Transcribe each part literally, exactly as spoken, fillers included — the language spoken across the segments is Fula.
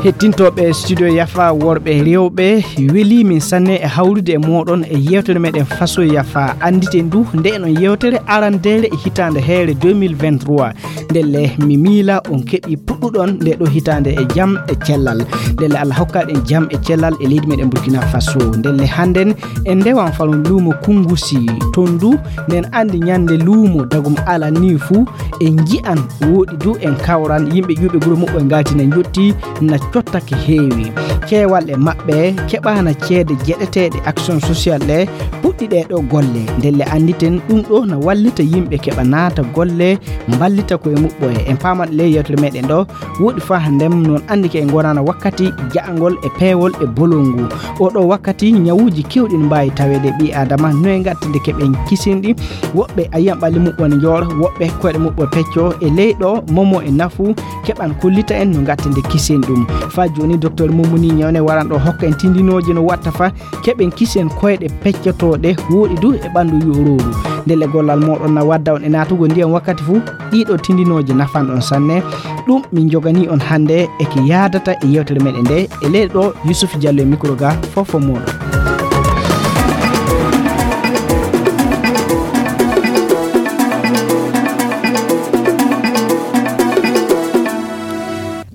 Hettintooɓe studio Yafa, worɓe e rewɓe, welii min sanne e hawrude e mooɗon e yeewtere meɗen Faso Yafa. Annditen du nde non yeewtere arandeere e hitaande heere deux mille vingt-trois. Ndelle mi miila on keɓi puɗɗuɗon nde ɗo hitaande e jam e cellal. Ndelle Allah hokka ɗen jam e cellal e leydi meɗen Burkina Faso. Ndelle hannden en ndewan fanon luumo Kunngusi. Ton du nden anndi ñande luumo dagum ala ni fuu en nji'an woɗi du en kawran yimɓe ƴuuɓe guro muɓɓoy ngalti na njotti na cottake heewi. Keewal e maɓɓe keɓana ceede jeɗeteeɗe action social ɗe puɗɗi ɗe ɗo golle. Ndelle annditen ɗum ɗo na wallita yimɓe keɓa naata golle mballita koye muɓɓoye. En paamat le yewtere meɗen ɗo woɗi faa ndem non anndi ke en gonana wakkati ja'angol e peewol e bolol ngu. Oɗo wakkati ñawuuji keewɗi no mbaawi taweede ɓii Aadama, noye ngattinde keɓen kisinɗi. Woɓɓe a yiyan ɓalli muɓɓo ne njooɗo, woɓɓe koyɗe muɓɓo pecco e ley ɗo momo e nafu keɓan kollita en no ngattinde kisin ɗum. Faa jooni Docteur Mumuni Ñawne waran ɗo hokka en tindinooji no watta fa keɓen kisen koyɗe peccotooɗe woɗi du e ɓanndu yu'urooru. Ndelle gollal mooɗon na wadda on e naatugol ndiyan wakkati fuu. Ɗiɗo tindinooje nafan on sanne. Ɗum min joganii on hannde e ki yaadata e yewtere meɗen nde e leyɗe ɗo Yusuf Diallo e micro ga fof fof mooɗon.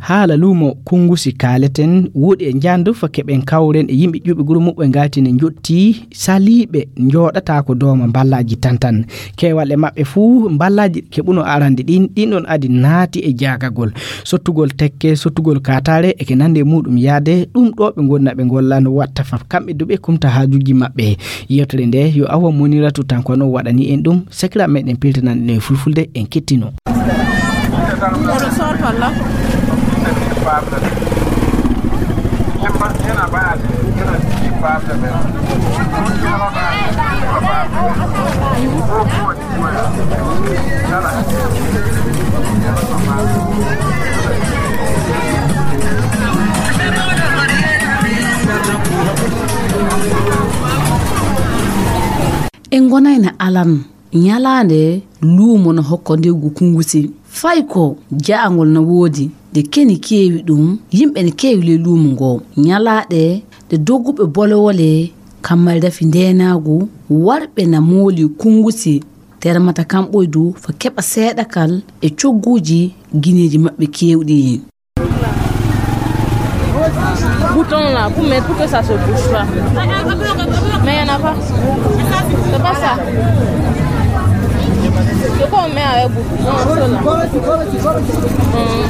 Haala luumo Kunngusi kaaleten woɗi e njandu fa keɓen kawren e yimɓe ƴuuɓe guro muɓɓe ngalti ne njotti saliiɓe njooɗata ko dooma mballaaji tan tan. Keewal e maɓɓe fuu mballaaji keɓuno arande ɗin ɗin ɗon adi naati e jaagagol sottugol tekke sottugol kaataare e ke nande e muɗum yaade ɗum ɗo ɓe ngonna ɓe ngolla no watta fa kamɓe duɓe kumta haajuji maɓɓe. Yewtere nde yo awa Moniratu tan kono waɗani en ɗum. Sakira meɗen piltanan ɗum e fulfulde en kettino. Oɗo sorto la. En ngonayna alan. Ñalaande luumo no hokko ndewgu Kunngusi. Fay ko ja'angol no woodi, nde keni keewi ɗum, yimɓe ne keewi ley luumo ngo. Ñalaaɗe ɗe dogguɓe bolewole, kammari rafi ndeenaagu, warɓe na mooli Kunngusi, termata kamɓoy du fa keɓa seeɗakal e cogguuji gineeji maɓɓe keewɗi. Bouton là, pour mettre, pour que ça se bouge pas. Mais il n'y en a pas. C'est pas ça. C'est quoi on met avec bouton? Non, c'est là. Hmm.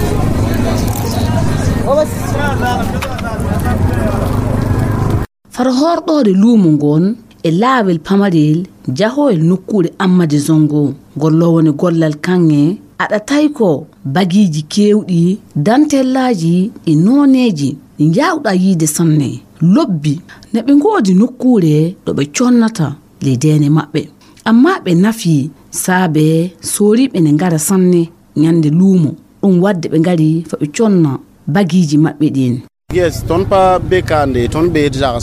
Faro horɗoode luumo ngon e laawel pamarel jahoyel nokkuure Ammadi Zongo, golloowo ne gollal kaŋŋe, aɗa tawi ko bagiiji keewɗi, dantellaaji e nooneeji ɗi njaawɗaa yiide sanne. Lobbi ne ɓe ngoodi nokkuure ɗo ɓe connata ley deene maɓɓe. Ammaa ɓe nafii saabe sooriiɓe ne ngara sanne ñande luumo. Ɗum waɗde ɓe ngari fa ɓe conna bagiiji maɓɓe ɗin. Yes, ton pa bekande, ton be dara.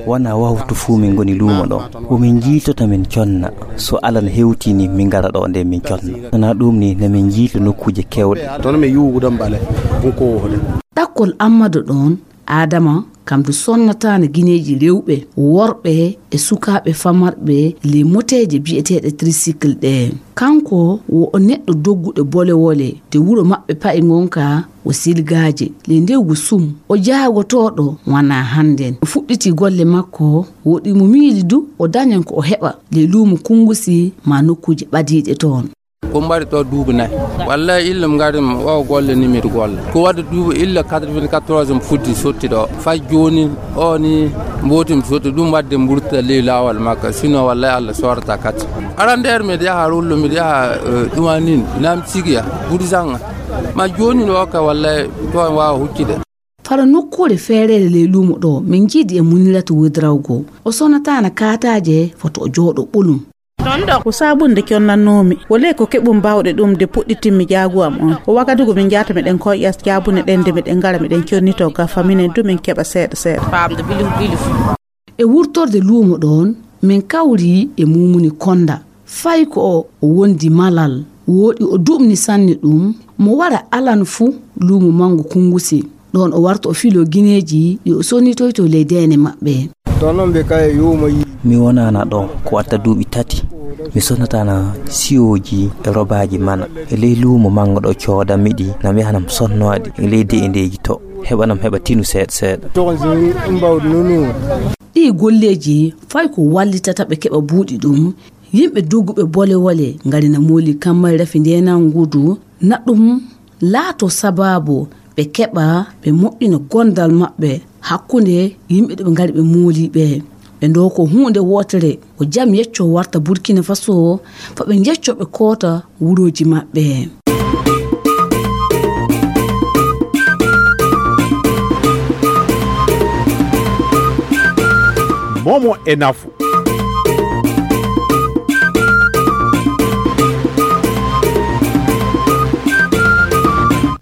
Wona wawtu fuu min ngoni luumo ɗo. Ko min njiitota min conna. So alan hewtini min ngara ɗo nde min conna. Wona ɗum ni ne min njiita nokkuuje kewɗe. Ton mi yuwugo ɗon bale. Ɗum ko wode. Ɗakkol Ammadu ɗon, Adama, kam du sonnataana gineeji rewɓe, worɓe e sukaaɓe famarɓe ley moteeje biyeteeɗe tricycle ɗe. Kanko wo o neɗɗo dogguɗo bolewole de wuro maɓɓe pa'i ngonka o silgaaje. Ley ndewgu sum, o jaagotooɗo wanaa hannden. O fuɗɗiti golle makko, woɗi mo miili du o dañan ko o heɓa ley luumo Kunngusi maa nokkuuje ɓadiiɗe toon. Ko mbaɗi ɗo duuɓi nayi. Wallahi illa mi ngari mi o golle ni miɗo golla. Ko wadde duuɓi illa quatre-vingt-quatorze mi fuddi sotti ɗo. Fay jooni o ni mbooti mi sotti ɗum wadde mburta ley laawol makka. Sinon wallahi Allah soorata kadi. Aran nder miɗo yaha Rollo, miɗo yaha, eh, Ɗumanin, Nam Sigiya, Burisanga. Ma jooni no okka wallahi to en waawa huccude. Faro nokkuure feereere ley luumo ɗo, min njiidi e Muniratu Wodrawgo. O sonataana kaataaje, foto o jooɗo ɓolum. Ko saabunde connannoomi. Wole ko keɓum baawɗe ɗum de puɗɗitinmi jaagu am on. Ko wagadugu min njaata miɗen koyƴa jaabune ɗen de miɗen ngara miɗen connitoo gafa minen du min keɓa seeɗa seeɗa. E wurtorde luumo ɗoon, min kawri e Muumuni Konda. Fay ko o wondi malal, wooɗi o duɓni sanne ɗum, mo wara alan fuu luumo manngu Kunngusi. Ɗoon o warta o filoo gineeji ɗi o sonnitoytoo ley deene maɓɓe. Ɗoon noon ɓe kay yuuma yii. Mi wonaana ɗo ko watta duuɓi tati. Mi sonnataana siyooji e robaaji mana. E ley luumo manngo ɗo coodanmi ɗi, na mi yahanam sonnoade e ley de'endeeji to, heɓanam heɓa tinu seeɗa seeɗa. Toon si mbawde nunu. Ɗii golleeji fay ko wallitata ɓe keɓa buuɗi ɗum. Yimɓe dogguɓe bole wole ngari na mooli kammari rafi ndeenan ngudu, na ɗum laato sabaabu ɓe keɓa ɓe moƴƴina gondal maɓɓe hakkunde yimɓe ɗo ɓe ngari ɓe mooli ɓe. Ɓe ndoo ko huunde wootere, ko jam yecco warta Burkina Faso, fa ɓe njecco ɓe koota wurooji maɓɓe. Momo e nafu.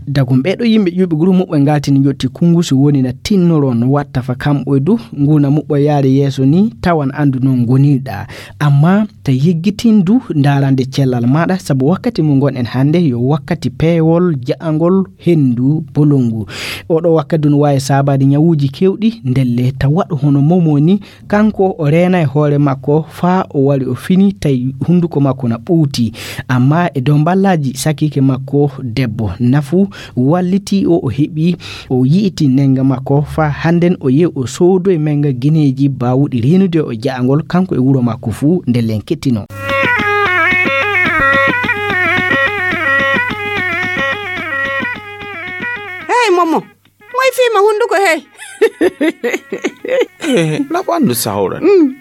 Dagum ɓeeɗo yimɓe ƴuuɓi guru muɓɓe ngaltini njotti kunngusu woni na tinnoro no watta fa kamɓoy du nguna muɓɓo yaade yeeso ni tawan anndu noon ngonirɗa. Amma ta yeggitin du ndaarande cellal maɗa, sabu wakkati mo ngonɗen hannde yo wakkati peewol, ja'angol, henndu, bolongu. Oɗo wakkati du no waawi saabaade ñawuuji keewɗi, ndelle ta waɗu hono momo ni, kanko o reena e hoore makko faa o wari o fini tawi hunnduko makko na ɓuuti. Amma e dow mballaaji sakiike makko debbo nafu walliti o, o heɓi o yi'iti nennga makko faa hannden o yehi o soodoyi mennga gineeji baawuɗi reenude o ja'angol kanko e wuro makko fuu nde len kettino. Hey, Momo. Moy fiima hunnduko hey? Eh, na ɓanndu sawra. Mm.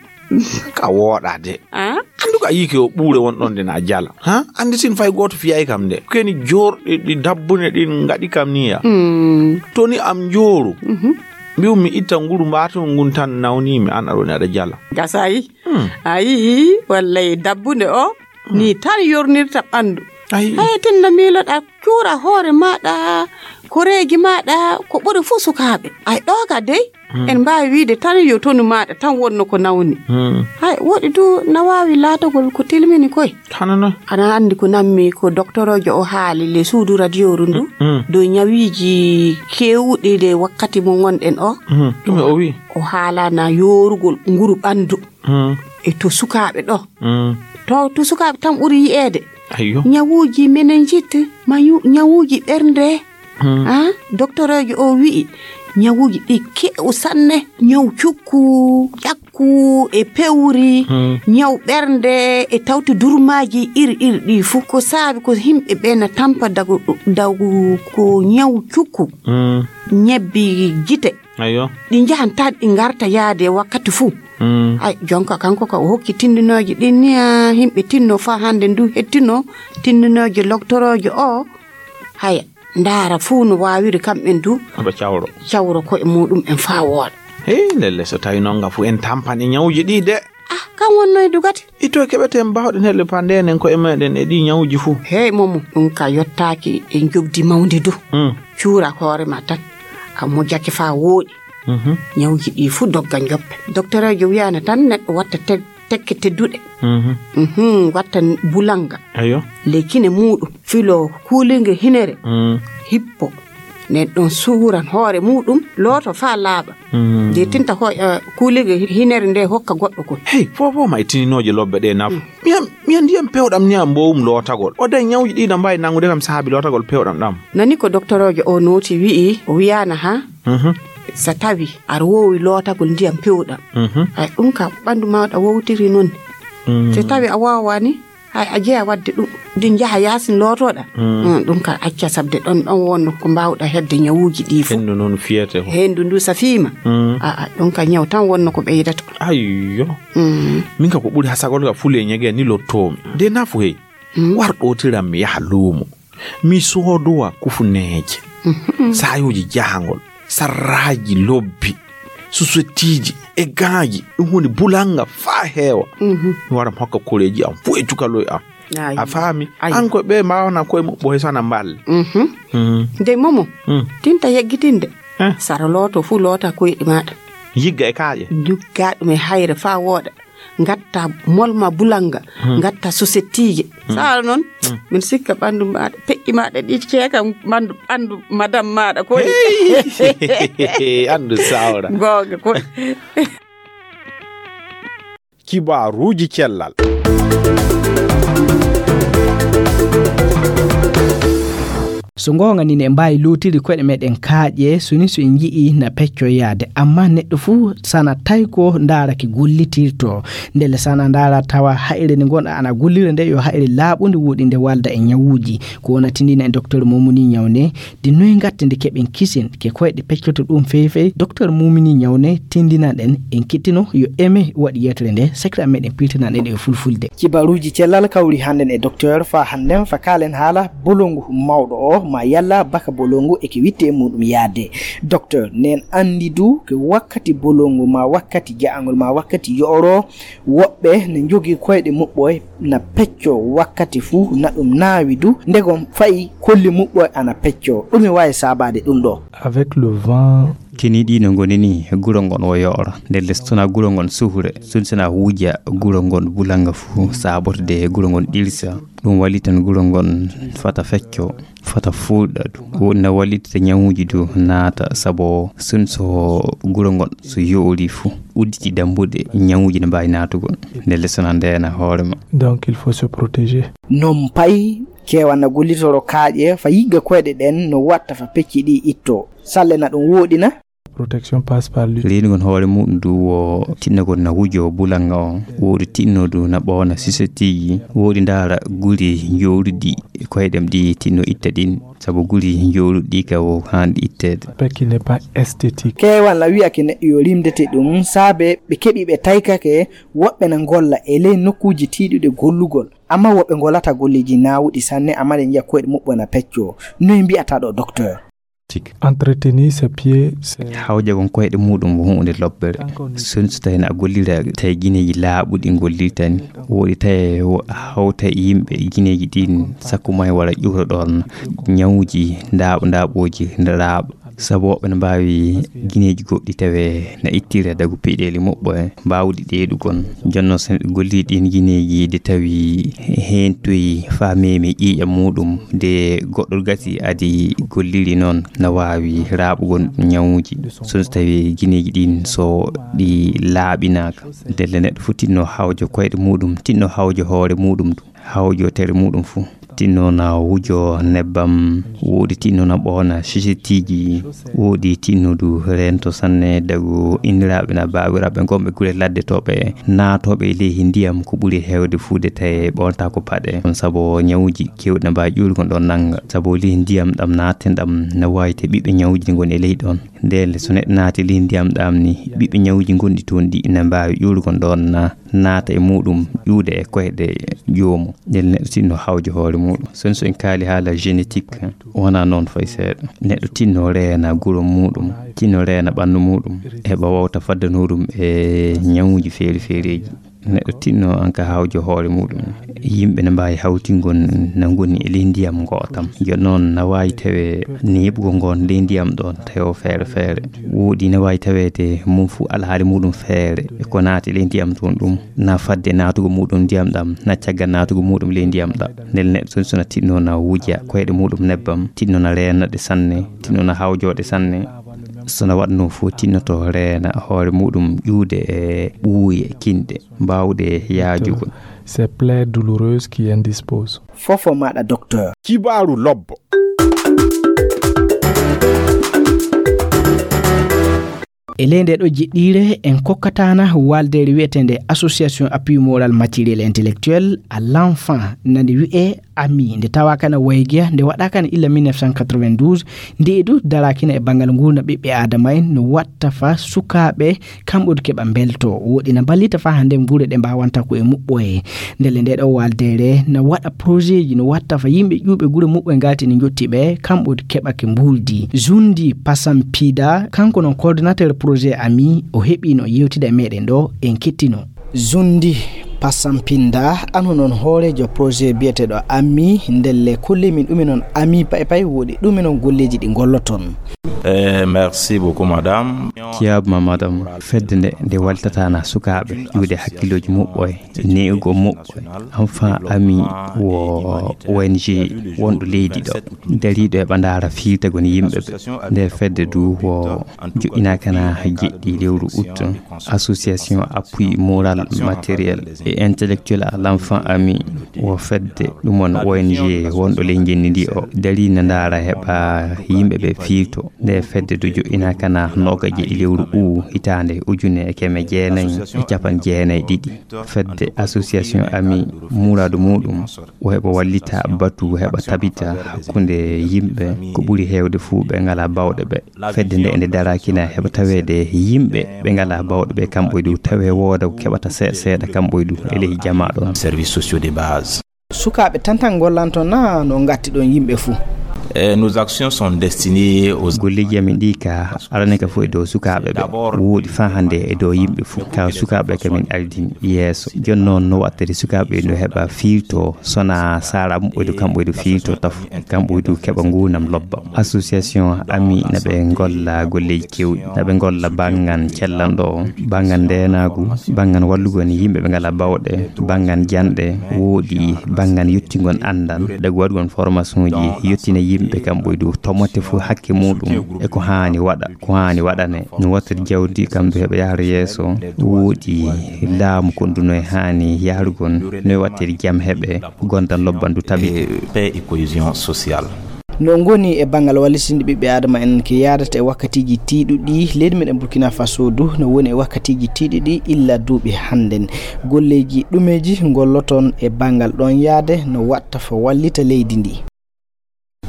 Ka wooɗa de. Ah? Anndu ka yiike o ɓuure won ɗon de na jala. Ha? Anndi sin fay gooto fiyay kam de. Keni joorɗi ɗi dabbune ɗin ngaɗi kam ni ya. Mm. To ni am njooru. Mhm. Mbi'u mi itta nguru mbaatun ngun tan nawni mi an aɗa woni aɗa jala. Gasayi. Hmm. A yi'i wallay dabbunde o ni tan yornirta ɓanndu. Ayi. Hay tinna miiloɗa cuura hoore maaɗa, koreeji maaɗa, ko ɓuri fuu sukaaɓe. Ay ɗo ka dey, hmm, en mbaawi wiide tan yo tonu maaɗa tan wonno ko nawni. Hmm. Hay woɗi du na waawi laatagol ko tilmini koy. Hano noon. Ana anndi ko nammi ko doktoroojo o haali le suudu radiyooru ndu, hmm, hmm, dow ñawiiji keewɗi le wakkati mo ngonɗen o. Hmm. Ɗume o wi? O haalana yoorugol nguru ɓanndu. Hmm. E to sukaaɓe ɗo. Hmm. To, to sukaaɓe tan ɓuri yi'eede. Ayyo. Ñawuuji meningite, mayu-, ñawuuji ɓernde. Hmm. Ah, doktoroojo o wi'i, ñawuuji ɗi keew sanne. Ñaw cukku, ƴakku e pewri, hmm, ñaw ɓernde e tawti durmaaji iri iri ɗi fuu. Ko saabi ko yimɓe ɓe na tampa dagu, dagu ko ñaw cukku. Hmm. Ñebbi gite. Ayyo. Ɗi njahan tan ɗi ngarta yaade wakkati fuu. Mm. Ay, jonka kanko ka o hokki tindinooji ɗin ni, a, yimɓe tinno faa hannde ndu hettino tindinooji loktoroojo o. Haya, ndaara fuu no waawiri kamɓen du. Ɓe cawro. Cawro ko'e muɗum en faa wooɗa. Hey, lelle so tawi noon nga fuu en tampan e ñawuji ɗi de. Ah, kan wonno e dugati. Ito keɓeten baawɗen heɓde panndenen ko'e meɗen e ɗi ñawuji fuu. Hey, Momo, ɗum ka yottaaki e njoɓdi mawndi du. Mm. Cuura hoore ma tan. A mojake faa wooɗi. Mhm. Ñawuji ɗi fuu dogga njoppe. Doktoreejo wiyaana tan neɗɗo watta te-, tekke tedduɗe. Mhm. Mhm, watta bulanga. Ayo. Ley kine muuɗum. Filo kuulinge hinere. Mm. Hippo. Nden ɗon suuran hoore muuɗum, looto faa laaɓa. Mm. Nde tinta ho-, eh, kuulinge hi-, hinere nde hokka goɗɗo kon. Hey, fofo ma e tininooje lobbe ɗe nafu. Mm. Mi an, mi an ndiyam pewɗam ni am mboowum lootagol. O day ñawuji ɗi na mbaawi nanngude kam saabi lootagol pewɗam ɗam. Nani ko doktoroojo o nooti wi'i, o wiyaana ha? Mhm. So tawi aɗa woowi lootagol ndiyam pewɗam. Mhm. Ay, ɗum ka ɓanndu ma ɗa wowtiri noon. Mm. So tawi a waawaani, hay a jeya waɗde ɗum. Ɗi njaha yaasin lootoɗa. Mm. Mm, ɗum ka acca sabde ɗon, ɗon wonno ko mbaawɗa heɓde ñawuuji ɗi fof. Henndu noon fiyete ko. Henndu ndu safiima. Mm. A, a, ɗum ka ñaw tan wonno ko ɓeydata. Ayyo. Mm. Min ka ko ɓuri hasagol ka fule ñege ni lottoomi. De nafu hey. Mm. War ɗootiram mi yaha luumo. Mi soodowa kufuneeje, mhm, saayooji jahangol, sarraaji lobbi, susettiiji e gaaji, ɗum woni bulannga faa heewa. Mhm. Mi wara mi hokka koreeji am fuu e cukaloy am. Ayi. A faami? Ayi. An ko ɓe mbaawana koye muɓɓo he sana mballe. Mhm. Mm. Ndey Momo, mm, tinta yeggitinde. Eh. Sara looto fuu loota koyɗi maaɗa. Yigga e kaaƴe. Yigga ɗum e hayre faa wooɗa. ngatta molma bulanga, ngatta sosettiije. Sara noon, min sikka ɓanndu maaɗa, peƴƴi maaɗa ɗi ceeka ɓanndu, ɓanndu madam maaɗa ko. Anndu sawra. Goonga ko. Kibaaruuji cellal. So ngoonga ni, ne mbaawi lootiri koɗe meɗen kaaƴe, so ni so en nji'i na pecco yaade. Amma neɗɗo fuu sana tawi ko ndaara ki gollitirto. Ndelle sana ndaara tawa haire nde ngonɗa ana gollira nde yo haire laaɓunde woɗi nde walda e ñawuuji. Ko wona tindina e docteur Momuni Ñawne, di noy ngatte nde keɓen kisin ke koyɗe peccoto ɗum feefey. Docteur Momuni Ñawne tindina ɗen en kettino yo eme waɗi yetere nde sakira meɗen pirtana ɗen e fulfulde. Kibaruuji cellal kawri hannden e docteur fa hannden fa kaalen haala bolongu mawɗo o ma yalla baka bolongu e ke witte e muɗum yaade. Docteur nen andi du ke wakkati bolongu ma wakkati ja'angol ma wakkati yo'oro woɓɓe ne njogi koyɗe muɓɓoy na pecco wakkati fuu na ɗum naawi du ndegom fayi kolli muɓɓoy ana pecco ɗumi wawi saabade ɗum ɗo. Avec le vent. Kini ɗi no ngoni ni guro ngon wo yoora nde lestona guro ngon suhure sunsina wuja guro ngon bulanga fuu saabotde guro ngon ɗirsa. Ɗum wali tan guro ngon fata fecco fata fuuɗa du wonna wallitde ñawuuji du naata sabu sun so guro ngon so yoori fuu udditi dambuɗe ñawuuji ne mbaawi naatugol nde lesona ndeena hoore ma. Donc il faut se protéger. Non pay kewana gollitoro kaaƴe fa yigga koyɗe ɗen no watta fa pecci ɗi itto salle na ɗum woɗina. Protection passe par lui. Reenugol hoore muɗum du wo tinnagol na wujo bulanga on woodi tinnodu na ɓoona sisetiji woodi ndaara guri jowruɗi koyɗem ɗi tinno itta ɗin sabu guri jowruɗi ka wo hanɗi itteede. Peki n'est pas esthétique. Keewan na wi'ake neɗɗo yo rimdete ɗum saabe ɓe keɓi ɓe taykake woɓɓe na ngolla e ley nokkuuji tiiɗuɗe gollugol amma woɓɓe ngolata golleeji naawuɗi sanne amma ɗe njiya koyɗe muɓɓo na pecco. Noy mbi'ata ɗo docteur? Entretenir ses pieds. Hawjagol koyɗe muɗum ko huunde lobbere. Sun so tawi na gollira tawi gineeji laaɓuɗi gollirta ni woɗi tawi hawta e yimɓe gineeji ɗin sakko may wala ƴuuro ɗon ñawuji ndaaɓo ndaaɓooji laaɓa sabu woɓɓe no mbaawi gineeji goɗɗi tawe na ittira dagu piɗeeli muɓɓo e mbaawɗi ɗeeɗugol jonno so neɗɗo gollii ɗin gineeji de tawi heen toyi faa meemi ƴiiƴam muɗum de goɗɗo gasi adi golliri noon na waawi raaɓugol ñawuuji so so tawi gineeji ɗin so ɗi laaɓinaaka ndelle neɗɗo fof tinno hawjo koyɗe muɗum tinno hawjo hoore muɗum hawjo tere muɗum fof tinno na wujo nebbam woodi tinno na ɓoona sisitiji woodi tinno du rento sanne dagu inniraaɓe na baawiraaɓe gonɓe gure ladde toɓe naatooɓe e leydi ndiyam ko ɓuri heewde fuude tawi ɓoonta ko paɗe on sabu ñawuuji keewɗi na mbaawi ƴuurgol ɗon nannga sabu leydi ndiyam ɗam naatten ɗam na waawi te ɓiɓɓe ñawuuji ɗi ngoni e leydi ɗon ndeen so neɗɗo naati leydi ndiyam ɗam ni ɓiɓɓe ñawuuji gonɗi toon ɗi na mbaawi ƴuurgol ɗon na naata e muɗum ƴuude e koyɗe joomu nden neɗɗo tinno hawjo hoore muɗum sen so en kaali haala génétique wona noon fay seeɗa neɗɗo tinno reena guro muɗum tinno reena ɓanndu muɗum heɓa wawta faddanoɗum e ñawuji feeri feereji neɗɗo tinno an ka hawjo hoore muɗum yimɓe ne mbawi hawtingol na goni e ley ndiyam ngotam yo noon na wawi tawe neeɓugol ngon ley ndiyam ɗon tawi o feere feere woɗi ne wawi tawede mum fu alhaali muɗum feere e ko naati ley ndiyam toon ɗum na fadde naatugo muɗum ndiyam ɗam na caggal naatugo muɗum ley ndiyam ɗam ndel neɗɗo toon sona tinno na wuja koyɗe muɗum nebbam tinno na reenaɗe sanne tinno na hawjoɗe sanne sona waɗno fof tinnoto reena hoore muɗum ƴuude e ɓuuye kinɗe mbawɗe yaajugol. C'est plaie douloureuse qui indispose. Fofo maɗa docteur. Kibaaru lobbo. E ley nde ɗo jiɗɗiire en kokkatana waldere wiyetende association appui moral matériel intellectuel à l'enfant nande wi'e ami nde tawa kana waygiya nde waɗa kana illa mille neuf cent quatre-vingt-douze nde edu darakina e bangal ngurna ɓiɓɓe adama en no watta fa sukaaɓe kamɓe keɓa mbelto woɗina ballita fa hande gure ɗe mbawanta ko e muɓɓoye ndele nde ɗo waldere na waɗa projet ji no watta fa yimɓe ƴuuɓe gure muɓɓoye ngati ne jotti ɓe kamɓe keɓa ke mbuldi zundi pasam pida kanko non coordinateur projet ami o heɓino yewtida e meɗen ɗo en kettino zundi Passam Pinda, ano noon hooreejo projet biyeteeɗo Ami, ndelle kolli min ɗumi noon Ami pay pay woɗi ɗumi noon golleeji ɗi ngolloton. Eh, merci beaucoup, madame. Kiyaab ma, madame. Fedde nde, nde wallitataana sukaaɓe, ƴuude hakkillooji muɓɓoy, ne'ugo muɓɓoy. Enfin, Ami wo O N G wonɗo leydi ɗo, dariiɗo e ɓandaara fiirtagol yimɓe ɓe. Nde fedde du wo joƴƴinaakana jeɗɗi lewru août. Association appui moral, matériel et intellectuel à l'enfant Ami wo fedde ɗum on O N G wonɗo ley ngenndi ndi o darii na ndaara heɓa yimɓe ɓe fiirto. Nde fedde du joƴƴinaakana noogaye e jeɗɗi lewru août hitaande ujune e keme jeenayi e capanɗe jeenayi e ɗiɗi. Fedde association Ami muraadu muɗum o heɓa wallita batu heɓa tabita hakkunde yimɓe ko ɓuri heewde fuu ɓe ngalaa baawɗe ɓe. Fedde nde nde daraakina heɓa taweede yimɓe ɓe ngalaa baawɗe ɓe kamɓe du tawe wooda ko keɓata seeɗa seeɗa kamɓe du e ley jamaa ɗon. Services sociaux de base. Sukaaɓe tan tan ngollanto na no ngatti ɗon yimɓe fuu? Eh, nos actions sont destinées aux... Golleeji amin ɗi ka arani ka fof e dow sukaaɓe ɓe. Wooɗi faa hannde e dow yimɓe fuu. Ka sukaaɓe ka min ardini yeeso. Jooni noon no waɗtiri sukaaɓe no heɓa fiirto sona sara muɓɓoydu kamɓoydu fiirto tafu. Kamɓoydu keɓa nguunam lobba. Association Ami na ɓe ngolla golleeji kewɗi. Na ɓe ngolla banngan cellanɗo o, banngan ndeenaagu, banngan wallugo ni yimɓe ɓe ngalaa baawɗe, banngan janɗe, wooɗi banngan yottingon anndal, dagu waɗugon formation ji, yottina yimɓe kamɓoydu tomotte fuu hakke muɗum e ko haani waɗa, ko haani waɗane. No wattiri jawdi kam du heɓa yahra yeeso, wooɗi laamu kon du no e haani yahrugon, no e wattiri jam heɓe, gondan lobban du tabi. Et paix et cohésion sociale. No ngoni e banngal wallitinde ɓiɓɓe Aadama en ko yaadata e wakkatiiji tiiɗuɗi, leydi meɗen Burkina Faso du no woni e wakkatiiji tiiɗuɗi illa duuɓi hannden. Golleeji ɗumeeji ngolloton e banngal ɗon yaade no watta fo wallita leydi ndi?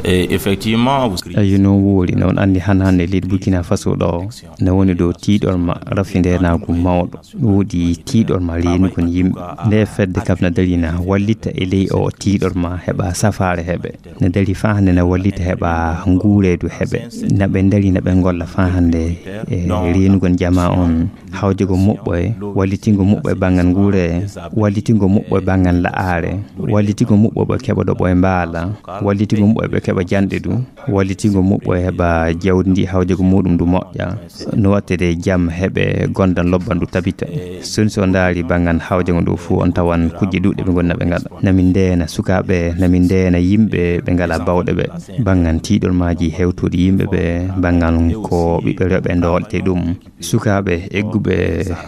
Et effectivement, vous... Eyi, noon woori, noon anndi han hannde leydi Burkina Faso ɗo, no woni dow tiiɗorma rafi ndeenaagu mawɗo. Woodi tiiɗorma reenugol yimɓe. Nde fedde kam na darina wallita e ley o tiiɗorma heɓa safaare heɓe. Na dari faa hannde na wallita heɓa nguureedu heɓe. Na ɓe dari na ɓe ngolla faa hannde e reenugol jamaa on. Hawjagol muɓɓoye, wallitingol muɓɓoye banngal nguure, wallitingol muɓɓoye banngal la'aare, wallitingol muɓɓoye ɓe keɓa ɗo ɓoye mbaala, wallitingol muɓɓoye ɓe keɓa janɗe du, wallitingol muɓɓoye heɓa jawdi ndi hawjagol muɗum du moƴƴa. No wattede jam heɓe gondan lobban du tabita. Soni so ndaari banngal hawjagol ndu fuu on tawan kujje ɗuuɗɗe ɓe ngonna ɓe ngaɗa. Na min ndeena sukaaɓe, na min ndeena yimɓe ɓe ngalaa baawɗe ɓe. Banngal tiiɗormaaji hewtuɗi yimɓe ɓe, banngal ko ɓiɓɓe rewɓe ndoolɗe ɗum. Sukaaɓe egguɓe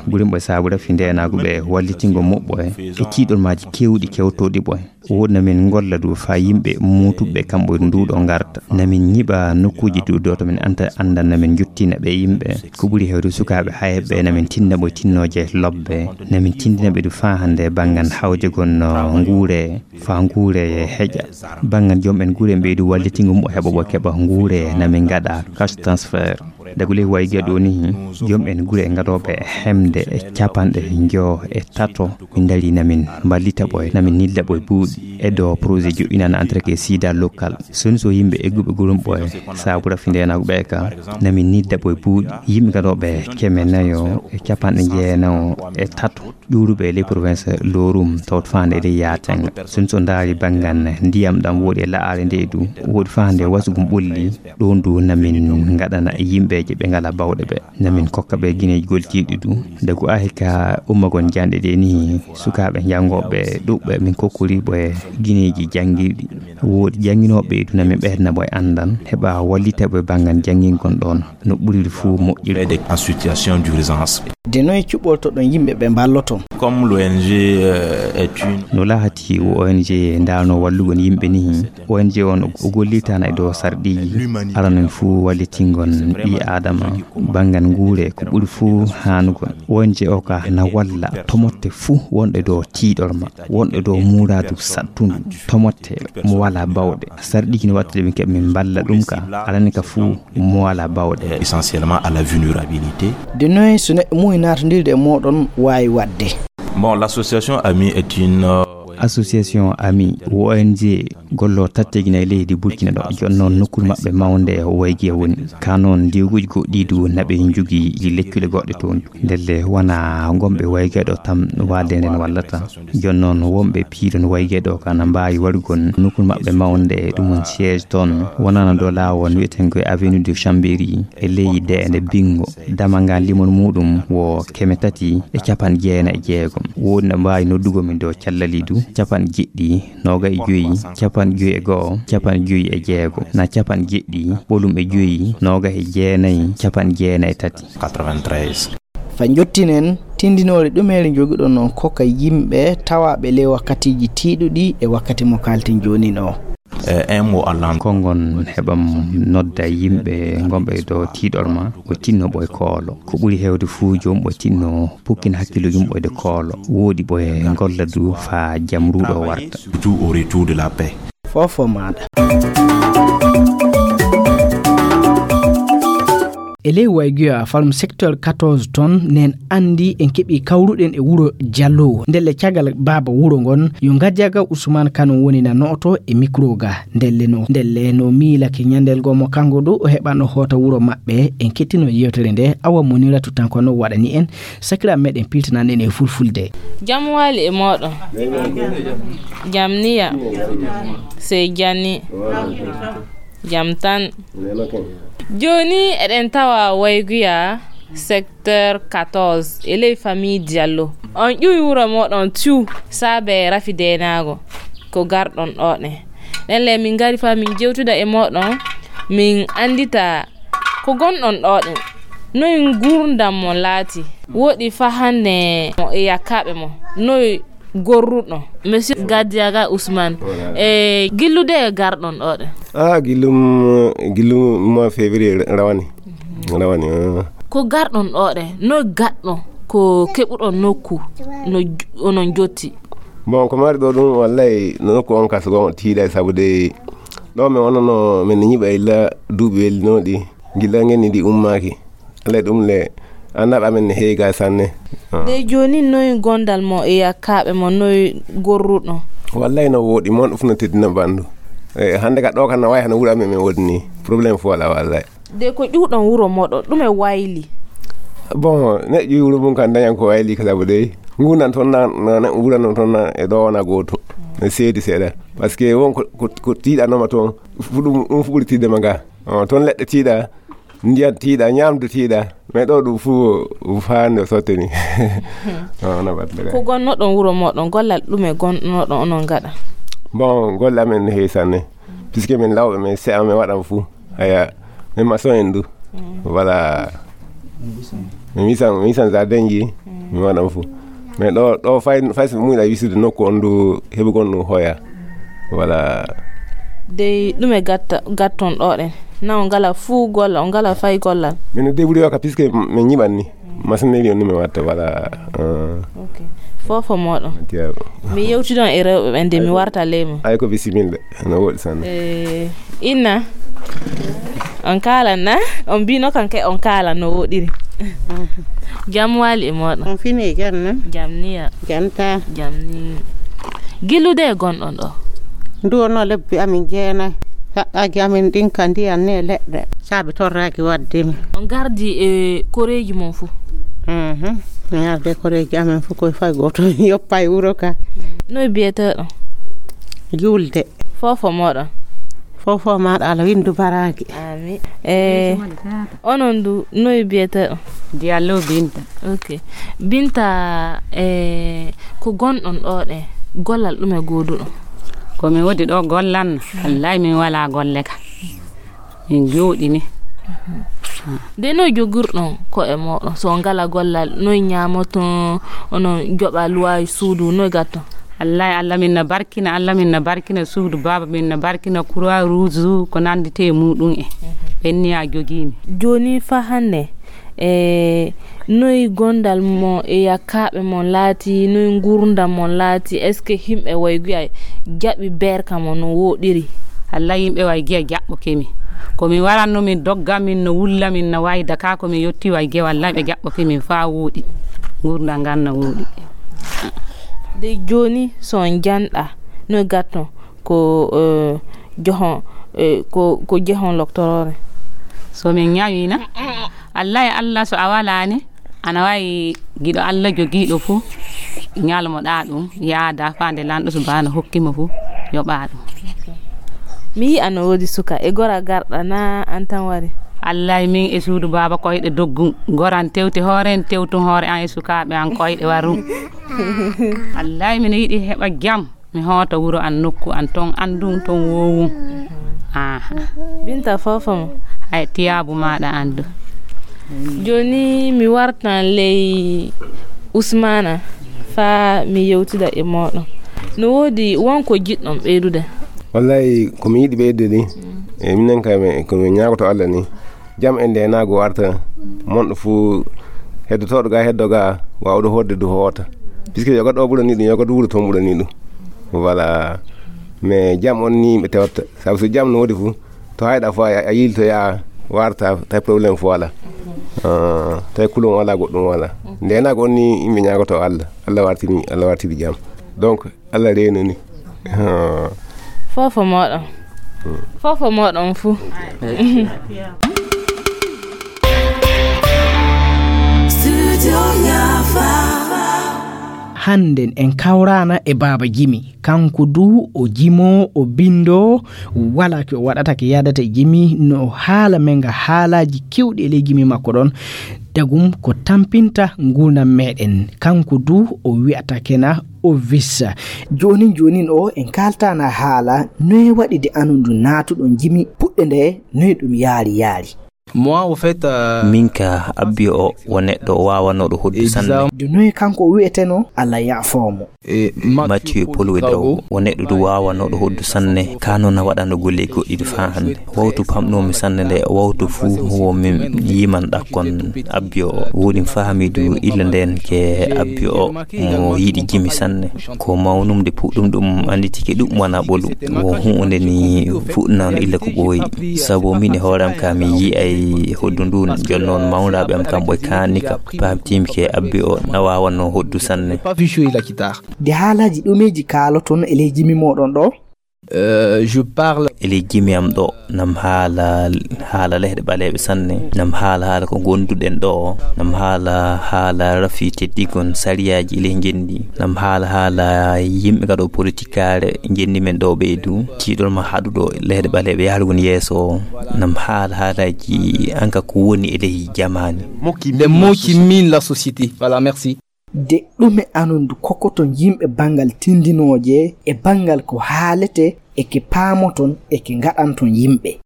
gurimɓe saabu rafi ndeenaagu ɓe wallitingol muɓɓoye e tiiɗormaaji keewɗi kewtooɗi ɓoye. Woodi na min ngolla du faa yimɓe muutuɓe kamɓe ndu ɗo ngarta. Na min ñiɓa nokkuuji du ɗo to min anta, anndan na min njottina ɓe yimɓe. Ko ɓuri heewde sukaaɓe hayɓe na min tinna ɓe tinnooje lobbe. Na min tindina ɓe du faa hannde banngal hawjagol no nguure, faa nguure e heƴa. Banngal joom en gure mbeeɗu wallitingol mo heɓa ɓo keɓa nguure na min ngaɗa cash transfert. Dagule wayi ga ɗo ni, joom en gure ngaɗooɓe hemde e capanɗe njo e tato, min ndari na min mballita ɓoye, na min nidda ɓoye buuɗi. E ɗo projet joɗɗinana entretien sida local. Soni so yimɓe egguɓe gurum ɓoye, saabu rafi ndeenaagu ɓe ka, na min nidda ɓoye buuɗi. Yimɓe ngaɗooɓe keme nayo e capanɗe jeenayo e tato. Ƴuuruɓe e ley province Lorum tawto faande e ley Yaatenga. Soni so ndaari banngal ndiyam ɗam woodi e la'aare nde du, woodi faande wasugum ɓulli, ɗoon du na min ngaɗana yimɓeeje ɓe ngalaa baawɗe ɓe. Na min kokka ɓe gineeji gollitirɗi du. Dagu ahi ka ummagon janɗe ɗe ni, sukaaɓe janngooɓe ɗuɓɓe min kokkori ɓe gineeji janngirɗi. Woodi jannginooɓe du na min ɓeydatna ɓe anndan, heɓa wallita ɓe banngal janngingol ɗoon. No ɓuriri fuu moƴƴirde. Aide en situation d'urgence. De noye cuɓɓortoɗon yimɓe ɓe mballoton? Comme l'O N G, euh, est une... No lahati O N G ndaarno wallugon yimɓe ni. O N G on o gollitana e dow sarɗiiji. Aranon fuu wallitingon ɓii Aadama banngal nguure ko ɓuri fuu haanugol. O N G o ka na walla tomotte fuu wonɗe dow tiiɗorma, wonɗe dow muuraadu saɗtundu, tomotte mo walaa baawɗe. Sarɗiiji no wattade min keɓa min mballa ɗum ka, alani ka fuu mo walaa baawɗe. Essentiellement à la vulnérabilité. De noye so neɗɗo muuyi naatondirde e mooɗon waawi waɗde? Bon, l'association Ami est une, euh, Association Ami, O N G, gollo tattegina e leydi Burkina ɗo. Jooni noon nokkuure maɓɓe mawnde Waygiya woni. Ka noon ndiwguuji goɗɗi du naɓe njogii lekkule goɗɗe toon. Ndelle wona gomɓe Waygiya ɗo tan walde nden wallata. Jooni noon wonɓe piiɗon Waygiya ɗo ka na mbaawi waɗugol nokkuure maɓɓe mawnde ɗum on siège toon. Wonana ɗo laawol wiyeten ko e avenue de Chambéry e ley deende Bingo. Damal ngal limol muɗum wo keme tati e capanɗe jeenayi e jeegom. Woodi no mbaawi noddugol min ɗo callali du, capanɗe jeɗɗi, noogay e joyi, capanɗe joyi e go'o, capanɗe joyi e jeego, na capanɗe jeɗɗi, ɓolum e joyi, noogay e jeenayi, capanɗe jeenayi e tati. Quatre-vingt-treize. Fa njottinen, tindinoore ɗumeere njogiɗon on kokka yimɓe tawaaɓe ley wakkatiiji tiiɗuɗi e wakkati mo kaalten joonin o? Eh, un mot en langue. Konngon heɓam nodda yimɓe gonɓe ɗo tiiɗorma, ɓe tinno ɓoy koolo. Ko ɓuri heewde fuu joom ɓe tinno pukkin hakkiilo yumɓoyde koolo. Woodi ɓoy golla du faa jam ruuɗo warta. Surtout au retour de la paix. Fofo maaɗa. E ley Wayguya, falum secteur quatorze toon, nen anndi en keɓi kawruɗen e wuro Jallowo. Ndelle caggal baaba wuro ngon, yo Ngadiaga Ousmane Kane woni na nooto e micro ga. Ndelle no, ndelle no miilake ñandel goo mo kanko ɗo o heɓano hoota wuro maɓɓe. En kettino yewtere nde, awa Moniratu tan kono waɗani en, sakiraaɓe meɗen piltanan en e fulfulde. Jam wali e moɗon. Jam niya. Sey jani. Jam tan. Jooni eɗen tawa Wayguya secteur quatorze e ley famille Diallo. On ƴuwi wuro moɗon tiw saabe rafi deenaago ko garɗon ɗo ɗen. Ndelle min ngari fa min jewtida e moɗon, min anndita ko gonɗon ɗo ɗen. Noy ngurdam mon laati? Woɗi fa hannde mo e yakkaaɓe mo. Noy gorruɗo. Monsieur Gadiaga Ousmane, e gillude e garɗon ɗo ɗe? Ah, gillum, gillum mois février rawani. Rawani, ah. Ko garɗon ɗo ɗe, no gaɗɗo ko keɓuɗon nokku, no j-, onon jotti? Bon, ko mari ɗo ɗum, wallay, nokku on kas gon tiiɗa, sabu de ɗo mi wonano, min ñiɓa illa duuɓi welinoɗi, gilla ngenni ndi ummaaki. Alay ɗum le, annaaɓe amen ne heewi ga sanne. Ah. De jooni, noy gondal mo e yakkaaɓe mo, noy gorruɗo? Wallay no woɗi, mon ɗum fof no teddina ɓanndu. E, hannde ka ɗo kan no wayi hano wuro amen men woodi ni. Problème fof alaa wallay. De ko ƴuwɗon wuro moɗo, ɗum e wayli? Bon, neɗɗo ƴuwi wuro mum kan dañan ko wayli ka sabu dey. Ngunan toon na, na, na wuro non toon na e ɗo wona gooto. Ne seedi seeɗa. Parce que won ko, ko, ko tiiɗanoma toon, fu ɗum, ɗum fu ɓuri tiiɗde ma ga. Oh, toon leɗɗe tiiɗa. Ndiyan tiiɗa, ñaamdu tiiɗa, mais ɗo ɗum fuu faande o sotteni. Ah, wona baɗde kay. Ko gonnoɗon wuro moɗon, gollal ɗume gonnoɗon onon ngaɗa? Bon, golle amen no heewi sanne. Puisque min lawɓe, min se'a, min waɗan fuu. Aya, min maçon en du. Mm. Voilà. Min wisan, min wisan jardin ji, mm, min waɗan fuu. Mais ɗo, ɗo fay, fay so muuyɗa wisude nokku on du heɓugol ɗum hoya. Voilà. Dey ɗume gatta, gatton ɗo ɗen? Na on ngala fuu golla, on ngala fay gollal? Min no débrouillé ka, puisque min ñiɓan ni. Machinerie on ni min watta, voilà. Ah. Ok. Fofo moɗon. Tiyaɓo. Mi yewtidon e rewɓe ɓen de mi warta leymu. Ay ko bisimilla. No woɗi sanne. Eh, inna. On kaalan na? On mbino kan ke on kaalan no woɗiri. Jam wali e moɗon. On fini e jam na? Jam niya. Jam ta. Jam ni. Gillude e gonɗon ɗo? Ndu wonno lebbi amin jeenayi. Saɗɗaaji amin ɗin ka ndiyan ne leɗɗe. Saabi torraaki wadde mi. On gardi e koreeji mon fu? Mhm. Mi gardi e koreeji amin fu koye fay gooto. Yoppa e wuro ka. Noy biyeteɗo? Julde. Fofo moɗon. Fofo maɗa ala windu baraki. Ami. Eh, onon du, noy biyeteɗo? Diallo Binta. Ok. Binta, eh, ko gonɗon ɗo ɗe, gollal ɗume gooduɗo? Ko mi wodi ɗo gollan, wallahi min wala golle ka. Min jooɗi ni. De noy jogirɗon ko e moɗon? So ngala gollal, noy ñamoton, onon joɓa luwaaji suudu, noy gatton? Wallahi, Allah min na barkina, Allah min na barkina suudu baaba, min na barkina Croix Rouge, ko nandite e muɗum e. Ɓenni a jogimi. Joni fa hande, e noy gondal mo e yakkaɓe mon laati, noy ngurdam mon laati? Est-ce que himɓe way guya jaɓi berka mo no woɗiri? Allah, yimɓe way giya jaɓɓo kemi. Ko mi waranno, min dogga, min no wulla, min no wayda ka, ko mi yotti way giya, wallahi ɓe jaɓɓo kemi fa woɗi. Ngurdam ngan no woɗi. De jooni so on janɗa no gatton ko eh, johon eh, ko ko jehon loktoroore. So min ñawiina, Allah e Allah, so a walaani, ana waawi giɗo Allah jogiiɗo fof, ñalmoɗaa ɗum, yaada faa nde lanɗo subhaana hokki mo fof, yoɓaa ɗum. Mi yi'a no woodi suka e gora garɗa na an tan wari. Allay, min e suudu baaba koyɗe doggu, goran tewti hoore en, tewtun hoore an e sukaaɓe an koyɗe waru. Allay, mino yiɗi heɓa jam, mi hoota wuro an, nokku an, ton andun ton wowun. Aha. Binta, fofo mo. Hay tiyaabu maaɗa andu. Jooni mi wartan ley Usmaana faa mi yewtida e mooɗon. No woodi won ko jiɗɗon ɓeydude? Wallay, ko mi yiɗi ɓeydude ni, e minen kay, mi- ko mi ñaagoto Allah ni, jam e ndeenaagu warta, monɗo fuu heddotooɗo ga heddo ga, waawɗo hoorde du hoota. Puisque yoga ɗo ɓurani ɗum, yoga du wuro toon ɓurani ɗum. Voilà. Mais jam on ni ɓe tewta. Sabu so jam no woodi fuu, to hayɗa fuu a a yiltoya warta, tawi problème fuu alaa. Ah, tawi kulon alaa, goɗɗum alaa. Ndeenaagu on ni yimɓe ñaagoto Allah. Allah wartiri, Allah wartiri jam. Donc, Allah reenani. Ah. Fofo mooɗon. Fofo mooɗon fuu. Hannden en kawraana e Baaba Jimi. Kanko du o jimo, o bindo, wala ko o waɗata, ko yadata e jimi, no haala men ga haalaaji kewɗi e ley jimi makko ɗon. Dagum ko tampinta nguurndam meɗen. Kanko du o wi'ata kena o vissa. Joonin joonin o en kaaltaana haala noye waɗi de anundu naatuɗon jimi puɗɗe nde noye ɗum yaari yaari. Moi, au fait, euh, Min ka abbi o o neɗɗo waawanooɗo hoddu sanne. De noye kanko o wi'eteno Allah yaafoo mo. Mathieu Polo e Daw o neɗɗo du waawanooɗo hoddu sanne, ka noon a waɗano golle goɗɗi du faa hannde. Wawtu pamɗoomi sanne nde, wawtu fuu wo min yiman ɗakkon abbi o. Woɗin faami du illa ndeen ke abbi o mo yiɗi jimi sanne. Ko mawnumde puɗɗum ɗum annditike ɗum wona ɓolu. Wo huunde ni fuɗɗinano illa ko ɓooyi. Sabu min e hoore am ka mi yi'ay hoddu ndun. Jooni noon mawniraaɓe am kamɓe kaani ka paamtiimi ke abbi o na waawanno hoddu sanne. De haalaaji ɗumeeji kaaloton e ley jimi mooɗon ɗo? Euh, je parle. E ley jimi am ɗo, nam haala, haala lehɗe ɓaleeɓe sanne, nam haala, haala ko ngonduɗen ɗo, nam haala, haala rafi teddigon sariyaaji e ley ngenndi, nam haala, haala yimɓe gaɗo politikaare ngenndi men ɗo ɓeydu, tiiɗol ma haɗuɗo lehɗe ɓaleeɓe yahrugol yeeso, nam haala, haalaaji anka ko woni e ley jamaani. Les mots qui minent la société. Voilà, merci. De ɗume anundu kokoton yimɓe banngal tindinooje e banngal ko haalete e ke paamoton e ke ngaɗanton yimɓe?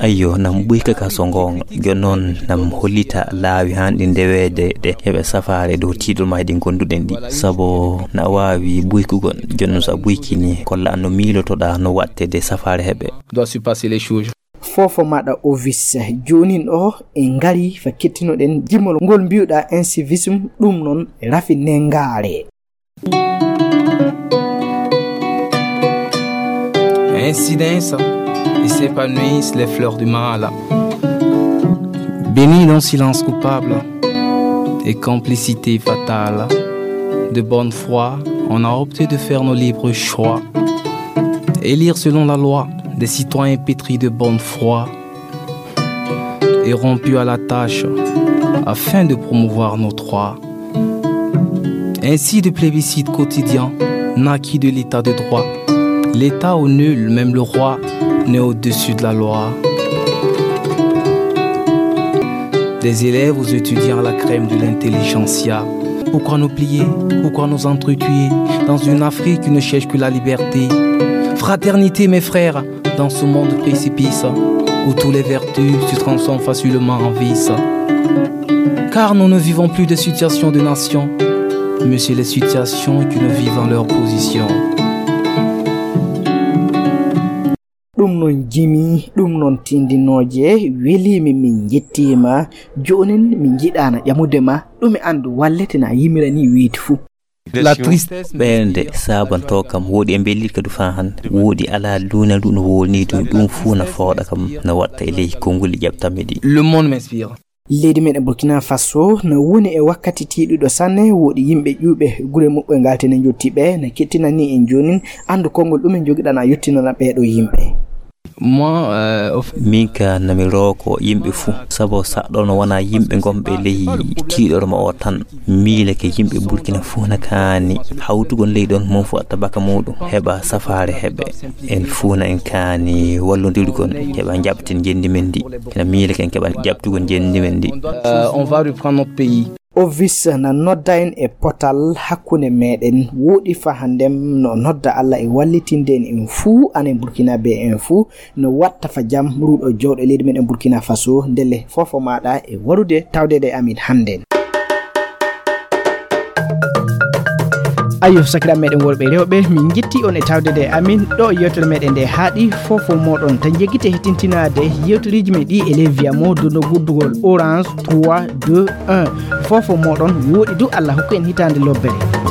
Ayyo, nam ɓuyka ka so ngoonga. Jooni noon nam hollita laawi hanɗi ndeweede ɗe heɓe safaare dow tiiɗol maa ɗi ngonduɗen ɗi. Sabo na waawi ɓuykugol. Jooni noon so a ɓuykini, kolla no miilotoɗaa no waɗte de safaare heɓe. Doit se passer les choses. Fofo maɗa ovis. Joonin o en ngari fa kettinoɗen jimol ngol mbiwɗa incivisme, ɗum noon rafi nengaare. Ainsi naissent et s'épanouissent les fleurs du mal. Bénis dans silence coupable et complicité fatale. De bonne foi, on a opté de faire nos libres choix. Élire selon la loi des citoyens pétris de bonne foi et rompus à la tâche afin de promouvoir nos droits. Ainsi de plébiscite quotidien naquit de l'état de droit. L'état où nul, même le roi, n'est au-dessus de la loi. Des élèves aux étudiants à la crème de l'intelligentsia. Pourquoi nous plier ? Pourquoi nous entretuer dans une Afrique qui ne cherche que la liberté ? Fraternité, mes frères, dans ce monde précipice où tous les vertus se transforment facilement en vices. Car nous ne vivons plus de situation de nation, mais c'est les situations qui nous vivent en leur position. Ɗum noon jimi, ɗum noon tindinooje, weliimi, min njettiima. Joonin min njiɗaana ƴamude ma, ɗume anndu wallete na yimira ni weeti fuu. La triste. Ɓeynde saabantoo kam, wooɗi e mbellitka du faa hannde, wooɗi alaa duuna du no wowlnii du, ɗum fuu na fooɗa kam, na waɗta e ley konnguli ƴaɓtammi ɗi. Le monde m'inspire. Leydi meɗen Burkina Faso no woni e wakkati tiiɗuɗo sanne, woɗi yimɓe ƴuuɓe gure muɓɓe ngaltene jotti ɓe, no kettinani en jonin anndu konngol ɗum en jogiɗana yottinana ɓeeɗo yimɓe. Moi, euh, au fait, min ka nami rooko yimɓe fuu, sabu saɗɗo no wona yimɓe gonɓe ley tiiɗorma o tan. Miileke yimɓe Burkina fuu na kaani hawtugol ley ɗon, mon fuu atta baka muɗum heɓa safaare heɓe. En fuu na en kaani wallodirgol heɓa jaɓten njenndi men ndi. Ena miileke en keɓa jaɓtugol njenndi men ndi. Euh, on va reprendre notre pays. Ovis na nodda en e potal hakkunde meɗen, woɗi fa handem no nodda Allah e wallitinde en en fuu, anen Burkina be en fuu, no watta fa jam ruɗo jowɗo leydi meɗen Burkina Faso. Ndelle fofo maɗa e warude tawdede e amin hande. Ayo, sakira meɗen worɓe rewɓe, min jetti on e tawdede e amin ɗo yewtere meɗen nde haaɗi. Fofo moɗon tan jeggite hettintinaade yewteriji men ɗi e ley viyamo dono guddugol orange trois deux un. Fofo moɗon woɗi du, Allah hokku en hitande lobbere.